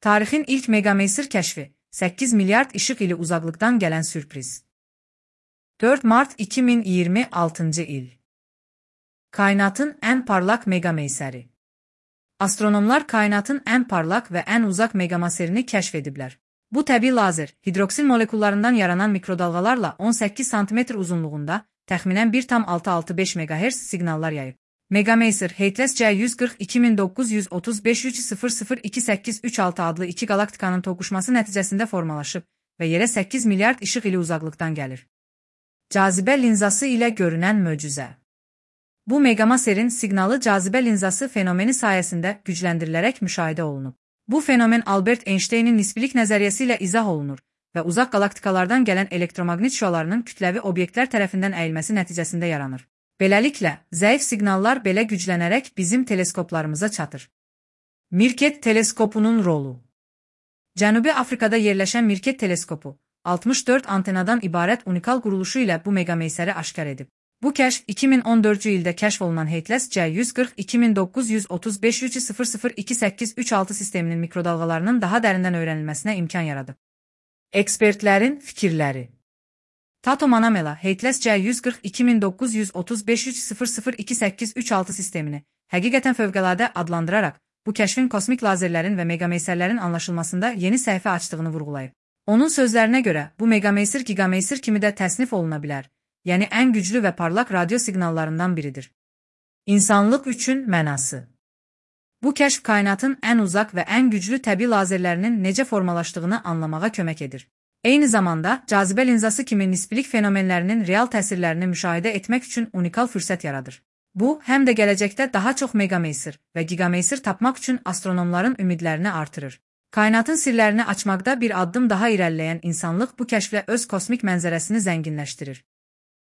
Tarixin ilk Megameysir kəşfi, 8 milyard işıq ili uzaqlıqdan gələn sürpriz. 4 Mart 2026 il. Kainatın ən parlaq megameysəri. Astronomlar kainatın ən parlaq və ən uzaq megameysərini kəşf ediblər. Bu təbii lazer, hidroksil molekullarından yaranan mikrodalğalarla 18 sm uzunluğunda, təxminən 1,665 MHz siqnallar yayıb. Megameysir Heitles C140-2935-300-2836 adlı iki galaktikanın toqquşması nəticəsində formalaşıb və yerə 8 milyard işıq ili uzaqlıqdan gəlir. Cazibə linzası ilə görünən möcüzə. Bu megameysərin siqnalı cazibə linzası fenomeni sayəsində gücləndirilərək müşahidə olunub. Bu fenomen Albert Einsteynin nisbilik nəzəriyyəsi ilə izah olunur və uzaq galaktikalardan gələn elektromaqnit şüalarının kütləvi obyektlər tərəfindən əyilməsi nəticəsində yaranır. Beləliklə, zəif siqnallar belə güclənərək bizim teleskoplarımıza çatır. Mirket teleskopunun rolu. Cənubi Afrikada yerləşən Mirket teleskopu, 64 antenadan ibarət unikal quruluşu ilə bu megameysəri aşkar edib. Bu kəşf 2014-cü ildə kəşf olunan Heitles C140-2935-300-2836 sisteminin mikrodalğalarının daha dərindən öyrənilməsinə imkan yaradıb. Ekspertlərin fikirləri. Tato Manamela, Heitles C140-2935-300-2836 sistemini həqiqətən fövqəladə adlandıraraq, bu kəşfin kosmik lazerlərin və megameysərlərin anlaşılmasında yeni səhifə açdığını vurğulayıb. Onun sözlərinə görə, bu megameysir gigameysir kimi də təsnif oluna bilər, yəni ən güclü və parlaq radio siqnallarından biridir. İnsanlıq üçün mənası. Bu kəşf kainatın ən uzaq və ən güclü təbii lazerlərinin necə formalaşdığını anlamağa kömək edir. Eyni zamanda, cazibə linzası kimi nisbilik fenomenlərinin real təsirlərini müşahidə etmək üçün unikal fürsət yaradır. Bu, həm də gələcəkdə daha çox megameysir və gigameysir tapmaq üçün astronomların ümidlərini artırır. Kainatın sirlərini açmaqda bir addım daha irəliləyən insanlıq bu kəşflə öz kosmik mənzərəsini zənginləşdirir.